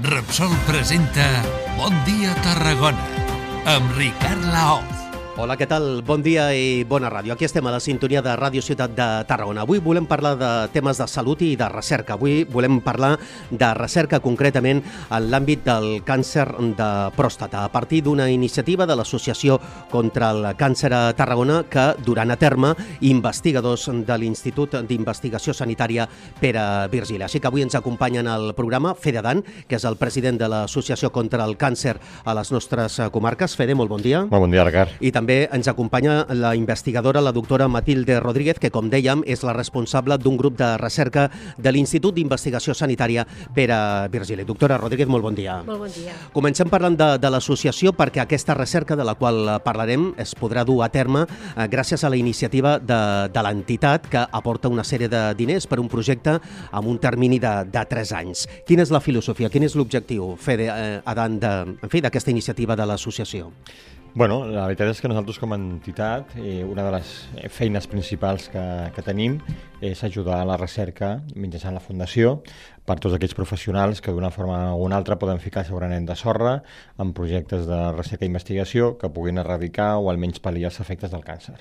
Repsol presenta Bon dia Tarragona amb Ricard Laoz. Hola, què tal? Bon dia i bona ràdio. Aquí estem a la sintonia de Ràdio Ciutat de Tarragona. Avui volem parlar de temes de salut i de recerca. Avui volem parlar de recerca concretament en l'àmbit del càncer de pròstata, a partir d'una iniciativa de l'Associació contra el Càncer a Tarragona que duran a terme investigadors de l'Institut d'Investigació Sanitària Pere Virgili. Així que avui ens acompanyen al programa Fede Adan, que és el president de l'Associació contra el Càncer a les nostres comarques. Fede, molt bon dia. Molt bon dia, Ricard. I també ens acompanya la investigadora, la doctora Matilde Rodríguez, que, com dèiem, és la responsable d'un grup de recerca de l'Institut d'Investigació Sanitària Pere Virgili. Doctora Rodríguez, molt bon dia. Molt bon dia. Comencem parlant de l'associació, perquè aquesta recerca de la qual parlarem es podrà dur a terme gràcies a la iniciativa de l'entitat, que aporta una sèrie de diners per un projecte amb un termini de 3 anys. Quina és la filosofia, quin és l'objectiu, Fede Adan, d'aquesta iniciativa de l'associació? Bueno, la veritat és que nosaltres com a entitat, una de les feines principals que tenim és ajudar a la recerca mitjançant la Fundació per tots aquells professionals que d'una forma o una altra poden ficar el seu granet de sorra en projectes de recerca i investigació que puguin erradicar o almenys pal·liar els efectes del càncer.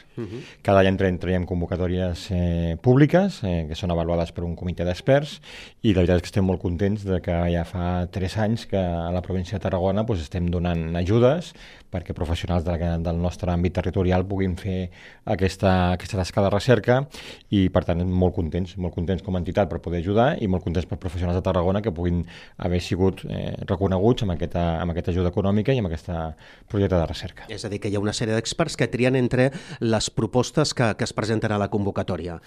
Cada any traiem convocatòries públiques que són avaluades per un comitè d'experts i la veritat és que estem molt contents de que ja fa 3 anys que a la província de Tarragona estem donant ajudes perquè professionals del nostre àmbit territorial puguin fer aquesta tasca de recerca i, per tant, molt contents com a entitat per poder ajudar i molt contents per professionals de Tarragona que puguin haver sigut reconeguts amb aquesta ajuda econòmica i amb aquest projecte de recerca. És a dir, que hi ha una sèrie d'experts que trien entre les propostes que es presenten a la convocatòria.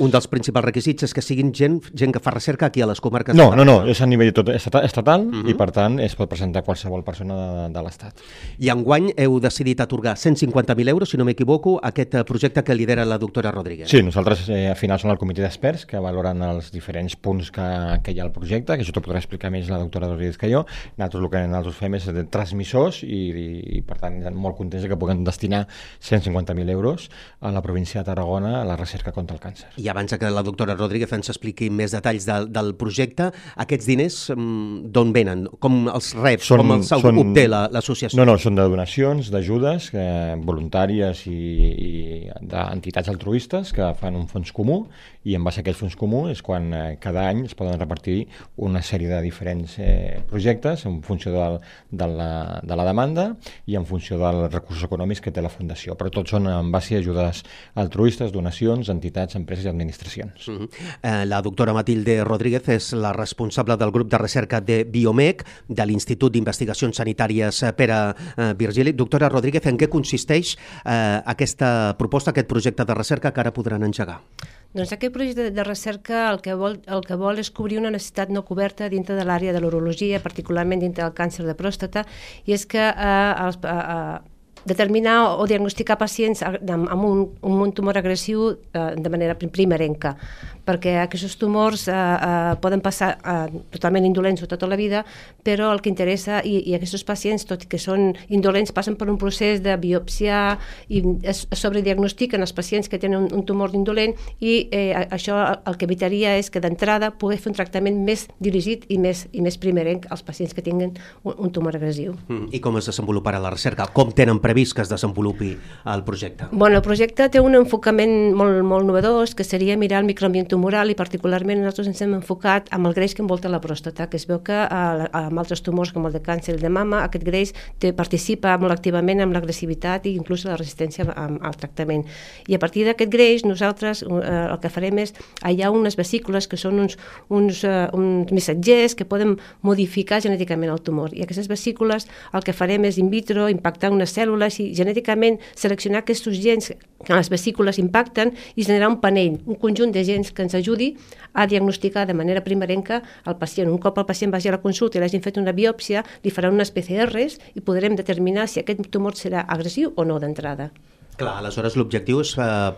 Un dels principals requisits és que siguin gent que fa recerca aquí a les comarques. No, és a nivell estatal i, per tant, es pot presentar qualsevol persona de l'Estat. I enguany heu decidit atorgar 150.000 euros, si no m'equivoco, a aquest projecte que lidera la doctora Rodríguez. Sí, nosaltres al final som el comitè d'experts que valoren els diferents punts que hi ha al projecte, que això t'ho podrà explicar més la doctora Rodríguez que jo. Nosaltres el que nosaltres fem és de transmissors i per tant, molt contents que puguem destinar 150.000 euros a la província de Tarragona a la recerca contra el càncer. I abans que la doctora Rodríguez ens expliqui més detalls del projecte, aquests diners d'on venen? Com els rep? Com els obté l'associació? No, són de donacions, d'ajudes voluntàries i d'entitats altruistes que fan un fons comú i en base a aquest fons comú és quan cada any es poden repartir una sèrie de diferents projectes en funció de la demanda i en funció dels recursos econòmics que té la Fundació. Però tots són en base a ajudes altruistes, donacions, entitats, empreses i administracions. La doctora Matilde Rodríguez és la responsable del grup de recerca de Biomec, de l'Institut d'Investigacions Sanitàries Pere Virgili. Doctora Rodríguez, en què consisteix aquesta proposta, aquest projecte de recerca que ara podran engegar? Doncs aquest projecte de recerca el que vol és cobrir una necessitat no coberta dintre de l'àrea de l'urologia, particularment dintre del càncer de pròstata, i és que determinar o diagnosticar pacients amb un tumor agressiu de manera primerenca, perquè aquests tumors poden passar totalment indolents tota la vida, però el que interessa, i aquests pacients, tot i que són indolents, passen per un procés de biòpsia i es sobrediagnostiquen els pacients que tenen un tumor indolent i això el que evitaria és que d'entrada poder fer un tractament més dirigit i més primerenc als pacients que tinguin un tumor agressiu. I com es desenvoluparà la recerca? Com tenen previst que es desenvolupi el projecte? Bueno, el projecte té un enfocament molt novedós, que seria mirar el microambient tumoral i particularment nosaltres ens hem enfocat amb el greix que envolta la pròstata, que es veu que amb altres tumors com el de càncer de mama aquest greix participa molt activament amb l'agressivitat i inclús la resistència al tractament. I a partir d'aquest greix nosaltres el que farem és aïllar unes vesícules que són uns missatgers que poden modificar genèticament el tumor. I aquestes vesícules el que farem és in vitro impactar unes cèl·lules i genèticament seleccionar aquests gens que les vesícules impacten i generar un panell, un conjunt de gens que ens ajudi a diagnosticar de manera primerenca el pacient. Un cop el pacient vagi a la consulta i l'hagin fet una biòpsia, li faran unes PCRs i podrem determinar si aquest tumor serà agressiu o no d'entrada. Clar, aleshores l'objectiu és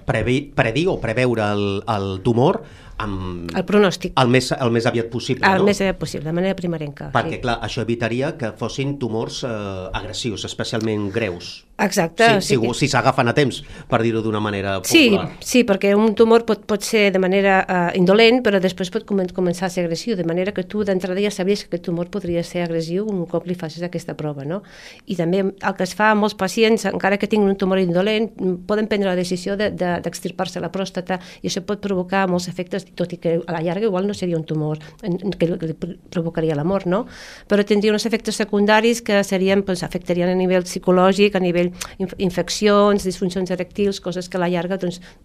predir o preveure el tumor el pronòstic. El més aviat possible, no? El més aviat possible, de manera primerenca. Perquè, clar, això evitaria que fossin tumors agressius, especialment greus. Exacte. Si s'agafen a temps, per dir-ho d'una manera popular. Sí, perquè un tumor pot ser de manera indolent, però després pot començar a ser agressiu, de manera que tu d'entrada ja sabies que aquest tumor podria ser agressiu un cop li facis aquesta prova, no? I també el que es fa a molts pacients, encara que tinguin un tumor indolent, poden prendre la decisió d'extirpar-se la pròstata, i això pot provocar molts efectes, tot i que a la llarga igual no seria un tumor que li provocaria la mort, no? Però tindria uns efectes secundaris que serien, afectarien a nivell psicològic, a nivell infeccions, disfuncions erectils, coses que a la llarga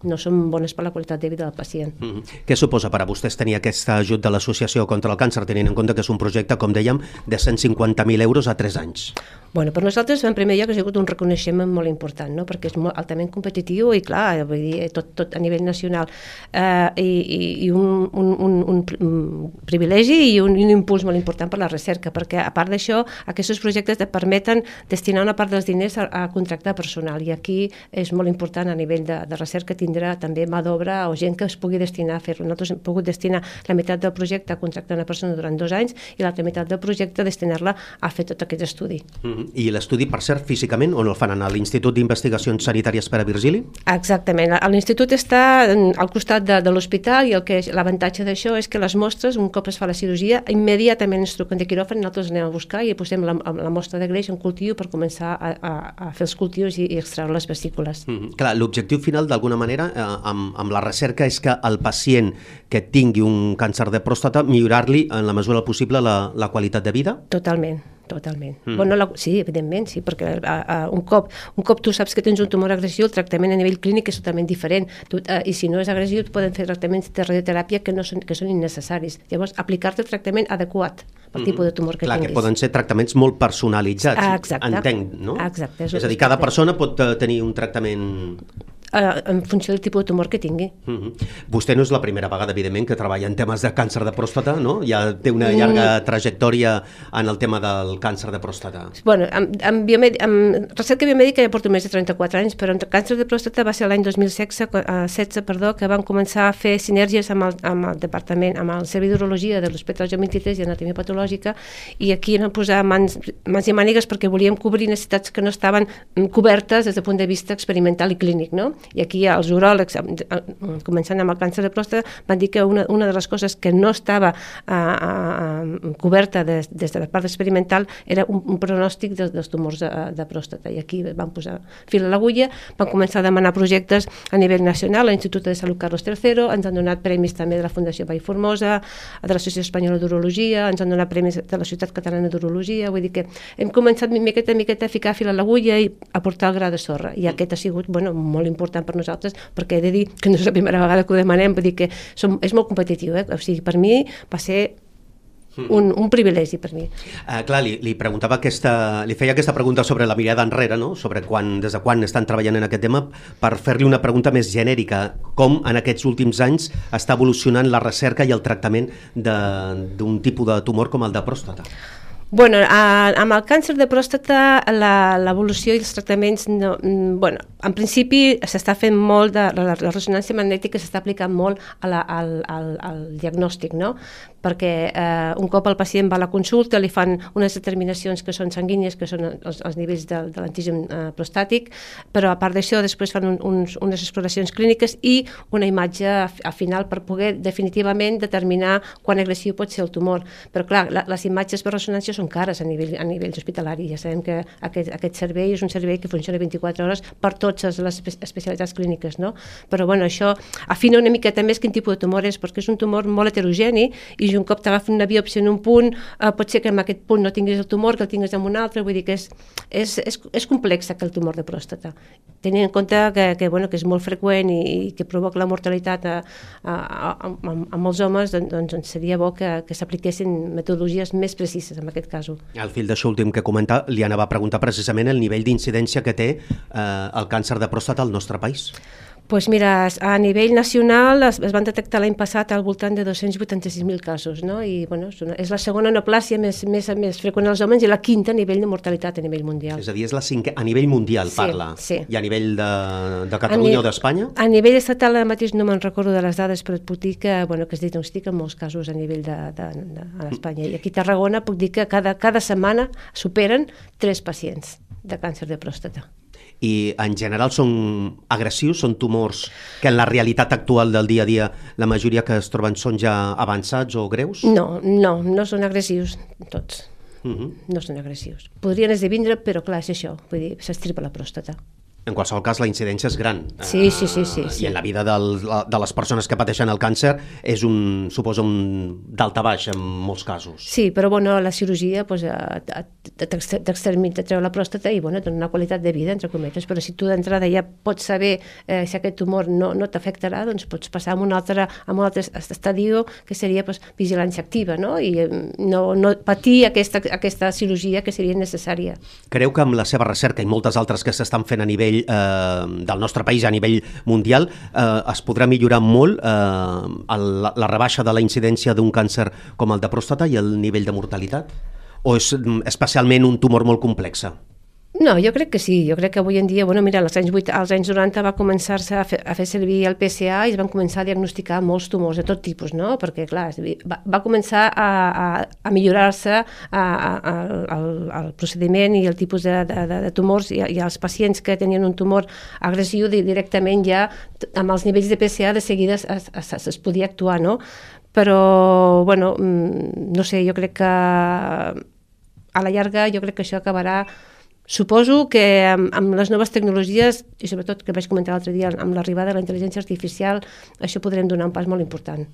no són bones per la qualitat de vida del pacient. Què suposa per a vostès tenir aquest ajut de l'Associació contra el Càncer, tenint en compte que és un projecte, com dèiem, de 150.000 euros a 3 anys? Bueno, per nosaltres, en primer lloc, ha sigut un reconeixement molt important, no? Perquè és molt altament competitiu i, clar, vull dir, tot a nivell nacional. I un privilegi i un impuls molt important per la recerca, perquè, a part d'això, aquests projectes et permeten destinar una part dels diners a contractar personal, i aquí és molt important a nivell de recerca tindrà també mà d'obra o gent que es pugui destinar a fer-lo. Nosaltres hem pogut destinar la meitat del projecte a contractar una persona durant 2 anys i l'altra meitat del projecte a destinar-la a fer tot aquest estudi. I l'estudi, per cert, físicament, on el fan? A l'Institut d'Investigacions Sanitàries Pere Virgili? Exactament. L'institut està al costat de l'hospital, i l'avantatge d'això és que les mostres, un cop es fa la cirurgia, immediatament ens truquen de quiròfan, nosaltres anem a buscar i posem la mostra de greix en cultiu per començar a fer els cultius i extreure les vesícules. Clar, l'objectiu final, d'alguna manera, amb la recerca és que el pacient que tingui un càncer de pròstata, millorar-li en la mesura possible la qualitat de vida? Totalment. Bueno, sí, evidentment, sí, perquè un cop tu saps que tens un tumor agressiu, el tractament a nivell clínic és totalment diferent, i si no és agressiu poden fer tractaments de radioteràpia que són innecessaris. Llavors, aplicar-te el tractament adequat pel tipus de tumor que tinguis. Clar, que poden ser tractaments molt personalitzats, entenc, no? Exacte. És a dir, cada persona pot tenir un tractament en funció del tipus de tumor que tingui. Vostè no és la primera vegada, evidentment, que treballa en temes de càncer de pròstata, no? Ja té una llarga trajectòria en el tema del càncer de pròstata. Bueno, amb recerca biomèdica ja porto més de 34 anys, però en càncer de pròstata va ser l'any 2016, que van començar a fer sinergies amb el departament, amb el Servei d'Urologia de l'Hospital Joan 23 i Anatomia Patològica, i aquí vam posar mans i mànigues perquè volíem cobrir necessitats que no estaven cobertes des del punt de vista experimental i clínic, no? I aquí els uròlegs, començant amb el càncer de pròstata, van dir que una de les coses que no estava coberta des de la part experimental era un pronòstic dels tumors de pròstata, i aquí van posar fil a l'agulla, van començar a demanar projectes a nivell nacional, a l'Institut de Salut Carlos III, ens han donat premis també de la Fundació Vall Formosa, de l'Associació Espanyola d'Urologia, ens han donat premis de la Societat Catalana d'Urologia, vull dir que hem començat miqueta a ficar fil a l'agulla i a portar el gra de sorra, i aquest ha sigut molt important per nosaltres, perquè he de dir que no és la primera vegada que ho demanem, vull dir que és molt competitiu, o sigui, per mi va ser un privilegi per mi. Clar, li preguntava li feia aquesta pregunta sobre la mirada enrere, no? Sobre des de quan estan treballant en aquest tema, per fer-li una pregunta més genèrica. Com en aquests últims anys està evolucionant la recerca i el tractament d'un tipus de tumor com el de pròstata? Bueno, amb el càncer de pròstata l'evolució i els tractaments, en principi s'està fent molt la ressonància magnètica, s'està aplicant molt al diagnòstic, no? Perquè un cop el pacient va a la consulta li fan unes determinacions que són sanguínies, que són els nivells de l'antigen prostàtic, però a part d'això després fan unes exploracions clíniques i una imatge al final per poder definitivament determinar quan agressiu pot ser el tumor. Però clar, les imatges per ressonància són cares a nivell hospitalari. Ja sabem que aquest servei és un servei que funciona 24 hores per totes les especialitats clíniques, no? Però bueno, això afina una miqueta més quin tipus de tumor és, perquè és un tumor molt heterogeni i un cop t'agafen una biòpsia en un punt, pot ser que en aquest punt no tinguis el tumor, que el tinguis en un altre, vull dir que és complex el tumor de pròstata. Tenint en compte que és molt freqüent i que provoca la mortalitat a molts homes, doncs seria bo que s'apliquessin metodologies més precises en aquest cas. Al fil d'això últim que comenta, li anava a preguntar precisament el nivell d'incidència que té el càncer de pròstata al nostre país. Pues mira, a nivell nacional es van detectar l'any passat al voltant de 286.000 casos, no? I bueno, és la segona neoplàsia més freqüent als homes i la quinta a nivell de mortalitat a nivell mundial. És a dir, és la cinquè, a nivell mundial parla. Sí. I a nivell de Catalunya o d'Espanya? A nivell estatal ara mateix no me'n recordo de les dades, però et puc dir que es diagnostiquen molts casos a nivell a l'Espanya. I aquí a Tarragona puc dir que cada setmana superen 3 pacients de càncer de pròstata. I en general són agressius, són tumors que en la realitat actual del dia a dia la majoria que es troben són ja avançats o greus? No són agressius tots. No són agressius. Podrien esdevindre, però clar, és això, vull dir, s'estripa la pròstata. En qualsevol cas, la incidència és gran. Sí. I en la vida de les persones que pateixen el càncer és suposa un daltabaix en molts casos. Sí, però bueno, la cirurgia t'extreu la pròstata i bueno, dona una qualitat de vida, entre cometes, però si tu d'entrada ja pots saber si aquest tumor no t'afectarà, doncs pots passar a un altre estadio que seria vigilància activa, no? I no patir aquesta cirurgia que seria necessària. Creu que amb la seva recerca i moltes altres que s'estan fent a nivell del nostre país, a nivell mundial, es podrà millorar molt la rebaixa de la incidència d'un càncer com el de pròstata i el nivell de mortalitat? O és especialment un tumor molt complex? No, jo crec que sí. Jo crec que avui en dia, mira, als anys 90 va començar-se a fer servir el PSA i es van començar a diagnosticar molts tumors de tot tipus, no? Perquè, clar, va començar a millorar-se el procediment i el tipus de tumors i els pacients que tenien un tumor agressiu directament ja amb els nivells de PSA de seguida es podia actuar, no? Però, bueno, no sé, jo crec que a la llarga jo crec que això acabarà. Suposo que amb les noves tecnologies, i sobretot que vaig comentar l'altre dia, amb l'arribada de la intel·ligència artificial, això podrem donar un pas molt important.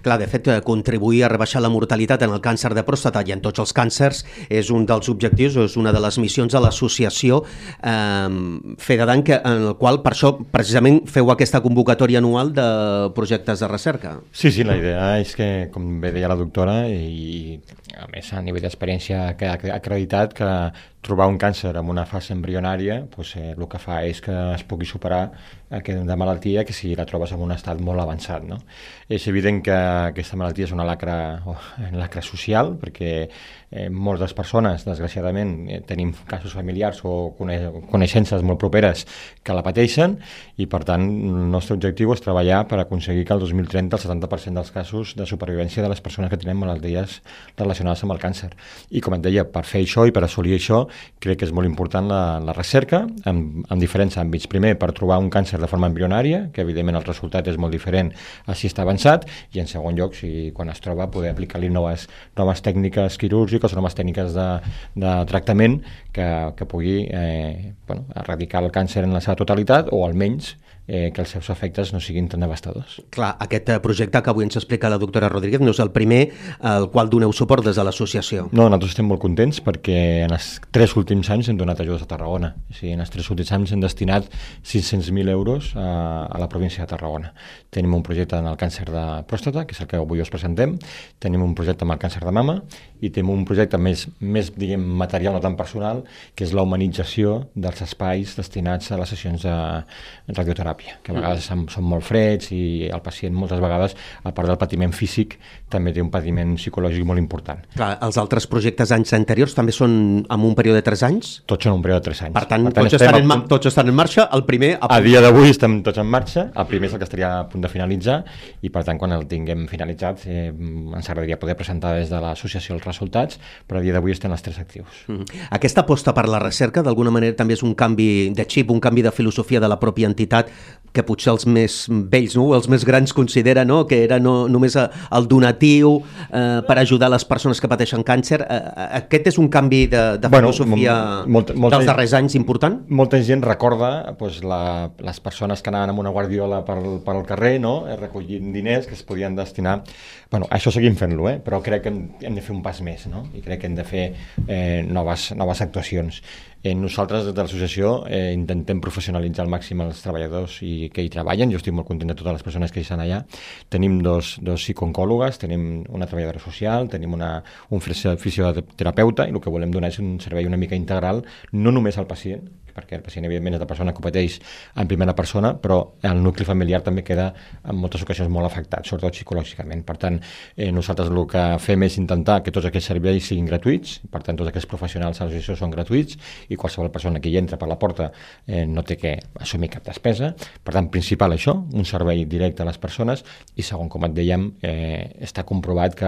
Clar, de fet, contribuir a rebaixar la mortalitat en el càncer de pròstata i en tots els càncers és un dels objectius, és una de les missions de l'associació Fedadan, en el qual, per això, precisament, feu aquesta convocatòria anual de projectes de recerca. Sí, la idea és que, com bé deia la doctora, i a més a nivell d'experiència que ha acreditat que trobar un càncer en una fase embrionària el que fa és que es pugui superar aquesta malaltia que si la trobes en un estat molt avançat, no? És evident que aquesta malaltia és una lacra social, perquè moltes de les persones, desgraciadament, tenim casos familiars o coneixences molt properes que la pateixen i, per tant, el nostre objectiu és treballar per aconseguir que el 2030 el 70% dels casos de supervivència de les persones que tenen malalties relacionades amb el càncer. I, com et deia, per fer això i per assolir això, crec que és molt important la recerca en diferents àmbits. Primer, per trobar un càncer de forma embrionària, que evidentment el resultat és molt diferent a si està avançat, i en segon lloc, quan es troba, poder aplicar-li noves tècniques quirúrgiques o noves tècniques de tractament que pugui erradicar el càncer en la seva totalitat o almenys que els seus efectes no siguin tan devastadors. Clar, aquest projecte que avui ens explica la doctora Rodríguez no és el primer al qual doneu suport des de l'associació. No, nosaltres estem molt contents perquè en els 3 últims anys hem donat ajudes a Tarragona. En els 3 últims anys hem destinat 500.000 euros a la província de Tarragona. Tenim un projecte en el càncer de pròstata, que és el que avui us presentem, tenim un projecte amb el càncer de mama i tenim un projecte més diguem, material, no tan personal, que és la humanització dels espais destinats a les sessions de radioteràpia, que a vegades són molt freds i el pacient moltes vegades, a part del patiment físic, també té un patiment psicològic molt important. Clar, els altres projectes anys anteriors també són en un període de 3 anys? Tots són un període de 3 anys. Per tant tots estan en marxa, el primer... A dia d'avui estem tots en marxa, el primer és el que estaria a punt de finalitzar i per tant quan el tinguem finalitzat ens agradaria poder presentar des de l'associació els resultats, però a dia d'avui estem els 3 actius. Aquesta aposta per la recerca d'alguna manera també és un canvi de xip, un canvi de filosofia de la pròpia entitat que potser els més vells, no? Els més grans consideren que era només el donatiu per ajudar les persones que pateixen càncer. Aquest és un canvi de filosofia dels darrers anys important? Molta gent recorda les persones que anaven amb una guardiola pel carrer, no? Recollint diners que es podien destinar... Això seguim fent-lo, però crec que hem de fer un pas més, no? I crec que hem de fer noves actuacions. Nosaltres, des de l'associació, intentem professionalitzar al màxim els treballadors que hi treballen. Jo estic molt content de totes les persones que hi estan allà. Tenim dos psicooncòlogues, tenim una treballadora social, tenim un fisioterapeuta, i el que volem donar és un servei una mica integral, no només al pacient, perquè el pacient, evidentment, és la persona que ho pateix en primera persona, però el nucli familiar també queda en moltes ocasions molt afectat, sobretot psicològicament. Per tant, nosaltres el que fem és intentar que tots aquests serveis siguin gratuïts, per tant, tots aquests professionals a l'associació són gratuïts i qualsevol persona que hi entra per la porta no té que assumir cap despesa. Per tant, principal això, un servei directe a les persones, i segon, com et dèiem, està comprovat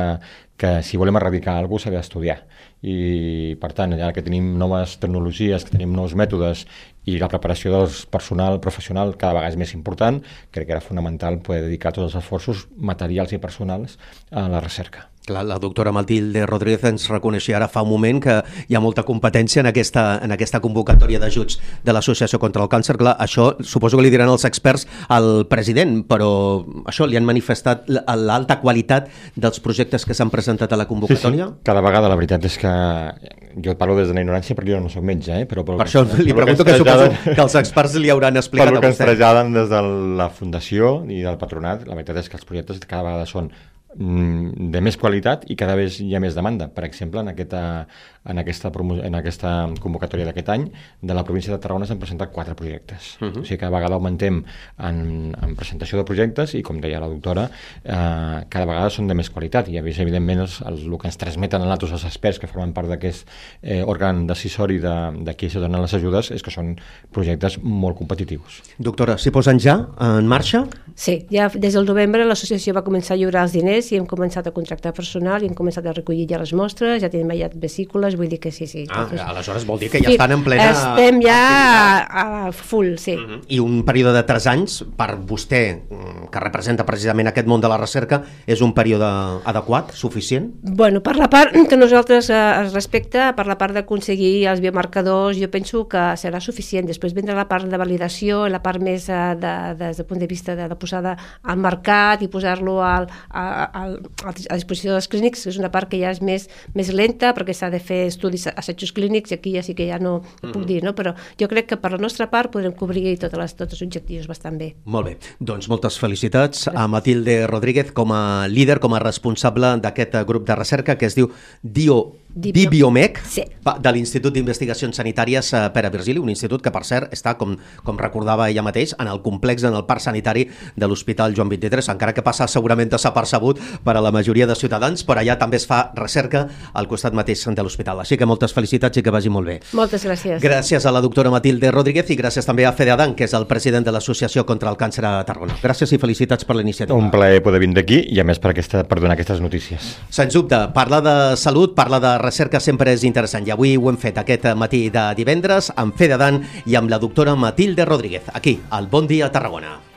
que si volem erradicar alguna cosa s'ha d'estudiar. I, per tant, ja que tenim noves tecnologies, que tenim nous mètodes i la preparació del personal professional cada vegada és més important, crec que era fonamental poder dedicar tots els esforços materials i personals a la recerca. Clar, la doctora Matilde Rodríguez ens reconeixia ara fa un moment que hi ha molta competència en aquesta convocatòria d'ajuts de l'Associació contra el Càncer. Clar, això suposo que li diran els experts al president, però això li han manifestat l'alta qualitat dels projectes que s'han presentat a la convocatòria? Sí. Cada vegada la veritat és que jo parlo des de la ignorància perquè jo no soc metge, però per això li pregunto que suposo que els experts li hauran explicat a vostè. Per el que ens traslladen des de la Fundació i del Patronat, la veritat és que els projectes cada vegada són de més qualitat i cada vegada hi ha més demanda. Per exemple, en aquesta convocatòria d'aquest any de la província de Tarragona s'han presentat 4 projectes. O sigui, cada vegada augmentem en presentació de projectes i, com deia la doctora, cada vegada són de més qualitat i, evidentment, el que ens transmeten a nosaltres els experts que formen part d'aquest òrgan decisori de qui es donen les ajudes és que són projectes molt competitius. Doctora, s'hi posen ja en marxa? Sí, ja des del novembre l'associació va començar a lliurar els diners i hem començat a contractar personal i hem començat a recollir ja les mostres, ja tenim ja vesícules, vull dir que sí. Aleshores vol dir que ja estan en plena... Estem ja a full, sí. I un període de 3 anys, per vostè, que representa precisament aquest món de la recerca, és un període adequat, suficient? Bueno, per la part que nosaltres es respecta, per la part d'aconseguir els biomarcadors, jo penso que serà suficient. Després vindrà la part de validació, la part més des del punt de vista de la posada al mercat i posar-lo a disposició dels clínics, és una part que ja és més lenta perquè s'ha de fer estudis, assajos clínics, i aquí ja sí que ja no puc dir, no? Però jo crec que per la nostra part podrem cobrir tots els objectius bastant bé. Molt bé, doncs moltes felicitats a Matilde Rodríguez com a líder, com a responsable d'aquest grup de recerca que es diu DiBiomec, sí, de l'Institut d'Investigacions Sanitàries Pere Virgili, un institut que, per cert, està, com recordava ella mateix, en el complex, en el parc sanitari de l'Hospital Joan XXIII, encara que passa segurament desapercebut per a la majoria de ciutadans, però allà també es fa recerca al costat mateix de l'hospital. Així que moltes felicitats i que vagi molt bé. Moltes gràcies. Gràcies a la doctora Matilde Rodríguez i gràcies també a Fede Adan, que és el president de l'Associació contra el Càncer a Tarragona. Gràcies i felicitats per la iniciativa. Un plaer poder vindre aquí i a més per donar aquestes notícies. Sens dubte, parlar de salut, parlar de recerca sempre és interessant i avui ho hem fet aquest matí de divendres amb Fede Adan i amb la doctora Matilde Rodríguez, aquí al Bon Dia Tarragona.